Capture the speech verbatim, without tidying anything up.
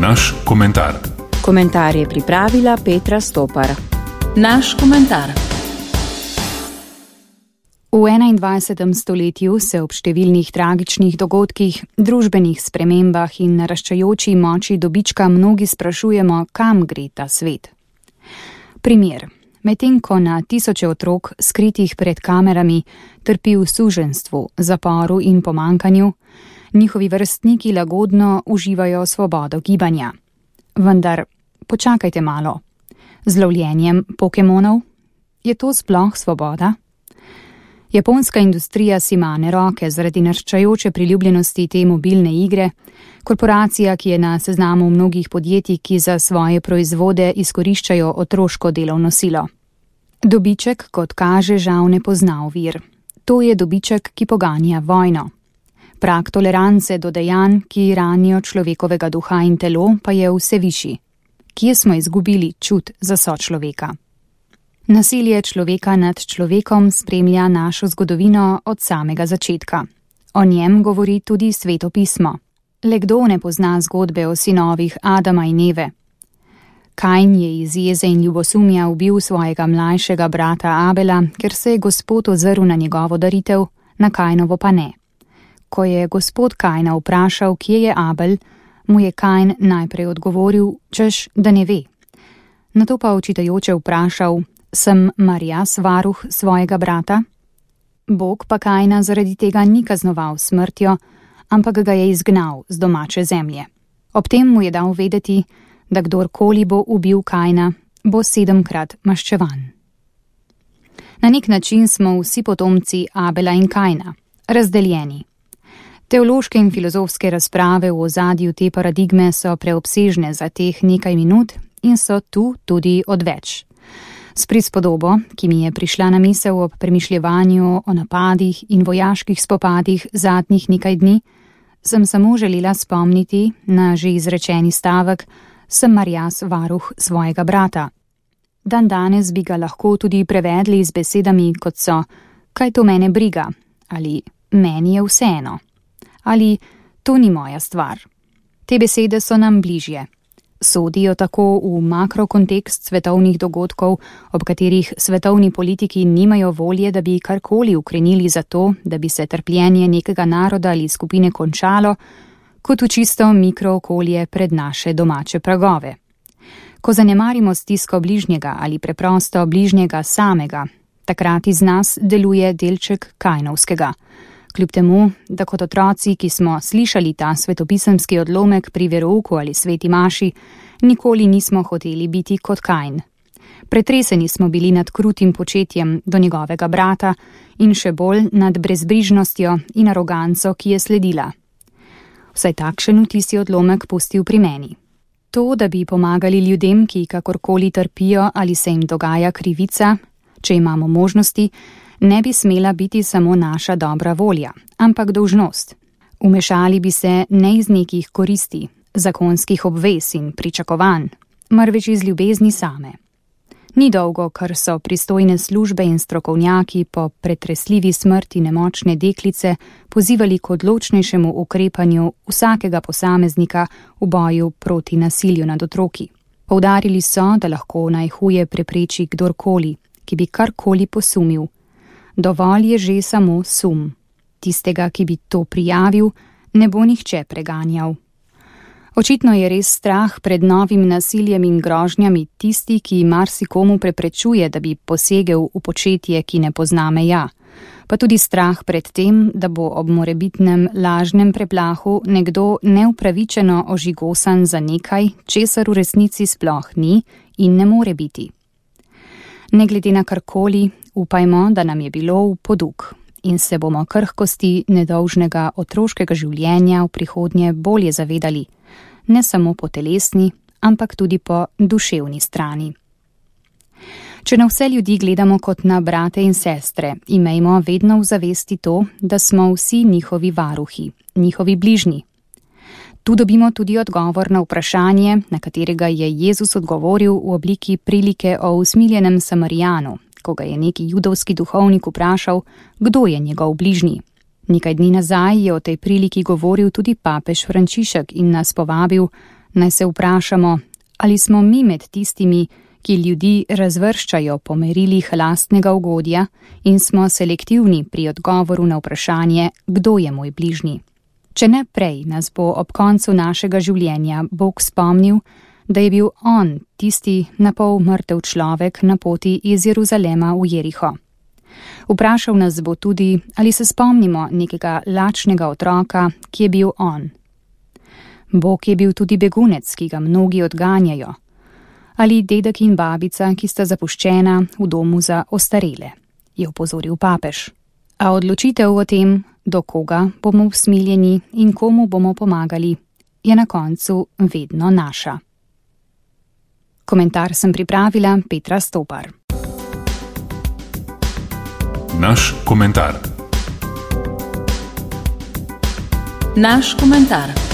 Naš komentar. Komentar je pripravila Petra Stopar. Naš komentar. V enaindvajsetem stoletju se ob številnih tragičnih dogodkih, družbenih spremembah in naraščajoči moči dobička mnogi sprašujemo, kam gre ta svet. Primer. Medtem ko na tisoče otrok, skritih pred kamerami, trpi v suženjstvu, zaporu in pomankanju, njihovi vrstniki lagodno uživajo svobodo gibanja. Vendar, počakajte malo. Z lovljenjem pokemonov? Je to sploh svoboda? Japonska industrija si mane roke zaradi naraščajoče priljubljenosti te mobilne igre, korporacija, ki je na seznamu mnogih podjetij, ki za svoje proizvode izkoriščajo otroško delovno silo. Dobiček, kot kaže, žal ne pozna ovir. To je dobiček, ki poganja vojno. Prag tolerance do dejanj, ki ranijo človekovega duha in telo, pa je vse višji. Kje smo izgubili čut za sočloveka? Nasilje človeka nad človekom spremlja našo zgodovino od samega začetka. O njem govori tudi Sveto pismo. Le kdo ne pozna zgodbe o sinovih Adama in Eve? Kain je iz jeze in ljubosumja ubil svojega mlajšega brata Abela, ker se je Gospod ozrl na njegovo daritev, na Kainovo pa ne. Ko je Gospod Kaina vprašal, kje je Abel, mu je Kain najprej odgovoril, češ, da ne ve. Nato pa očitajoče vprašal, sem mar jaz varuh svojega brata? Bog pa Kaina zaradi tega ni kaznoval smrtjo, ampak ga je izgnal z domače zemlje. Ob tem mu je dal vedeti, da kdorkoli bo ubil Kaina, bo sedemkrat maščevan. Na nek način smo vsi potomci Abela in Kaina, razdeljeni. Teološke in filozofske razprave v ozadju te paradigme so preobsežne za teh nekaj minut in so tu tudi odveč. S prispodobo, ki mi je prišla na misel ob premišljevanju o napadih in vojaških spopadih zadnjih nekaj dni, sem samo želela spomniti na že izrečeni stavek, sem mar jaz varuh svojega brata. Dan danes bi ga lahko tudi prevedli z besedami, kot so, kaj to mene briga, ali meni je vseeno, ali to ni moja stvar. Te besede so nam bližje. Sodijo tako v makrokontekst svetovnih dogodkov, ob katerih svetovni politiki nimajo volje, da bi karkoli ukrenili za to, da bi se trpljenje nekega naroda ali skupine končalo, kot v čisto mikrookolje pred naše domače pragove. Ko zanemarimo stisko bližnjega ali preprosto bližnjega samega, takrat iz nas deluje delček Kainovskega. Kljub temu, da kot otroci, ki smo slišali ta svetopisemski odlomek pri verouku ali sveti maši, nikoli nismo hoteli biti kot Kain. Pretreseni smo bili nad krutim početjem do njegovega brata in še bolj nad brezbrižnostjo in aroganco, ki je sledila. Vsaj takšen vtis je odlomek pustil pri meni. To, da bi pomagali ljudem, ki kakorkoli trpijo ali se jim dogaja krivica, če imamo možnosti, ne bi smela biti samo naša dobra volja, ampak dolžnost. Umešali bi se ne iz nekih koristi, zakonskih obvez in pričakovanj, marveč iz ljubezni same. Ni dolgo, kar so pristojne službe in strokovnjaki po pretresljivi smrti nemočne deklice pozivali k odločnejšemu ukrepanju vsakega posameznika v boju proti nasilju nad otroki. Poudarili so, da lahko najhuje prepreči kdorkoli, ki bi karkoli posumil. Dovolj je že samo sum. Tistega, ki bi to prijavil, ne bo nihče preganjal. Očitno je res strah pred novim nasiljem in grožnjami tisti, ki marsikomu preprečuje, da bi posegel v početje, ki ne pozna meja. Pa tudi strah pred tem, da bo ob morebitnem lažnem preplahu nekdo neupravičeno ožigosan za nekaj, česar v resnici sploh ni in ne more biti. Ne glede na karkoli, upajmo, da nam je bilo v poduk in se bomo krhkosti nedolžnega otroškega življenja v prihodnje bolje zavedali, ne samo po telesni, ampak tudi po duševni strani. Če na vse ljudi gledamo kot na brate in sestre, imejmo vedno v zavesti to, da smo vsi njihovi varuhi, njihovi bližnji. Tu dobimo tudi odgovor na vprašanje, na katerega je Jezus odgovoril v obliki prilike o usmiljenem Samarijanu, ko ga je neki judovski duhovnik vprašal, kdo je njegov bližnji. Nekaj dni nazaj je o tej priliki govoril tudi papež Frančišek in nas povabil, Naj se vprašamo, ali smo mi med tistimi, ki ljudi razvrščajo po merilih lastnega ugodja in smo selektivni pri odgovoru na vprašanje, kdo je moj bližnji. Če ne prej nas bo ob koncu našega življenja Bog spomnil, da je bil on tisti napol mrtev človek na poti iz Jeruzalema v Jeriho. Vprašal nas bo tudi, ali se spomnimo nekega lačnega otroka, ki je bil on. Bog je bil tudi begunec, ki ga mnogi odganjajo. Ali dedek in babica, ki sta zapuščena v domu za ostarele, je opozoril papež. A odločitev o tem, do koga bomo usmiljeni in komu bomo pomagali, je na koncu vedno naša. Komentar sem pripravila Petra Stopar. Naš komentar. Naš komentar.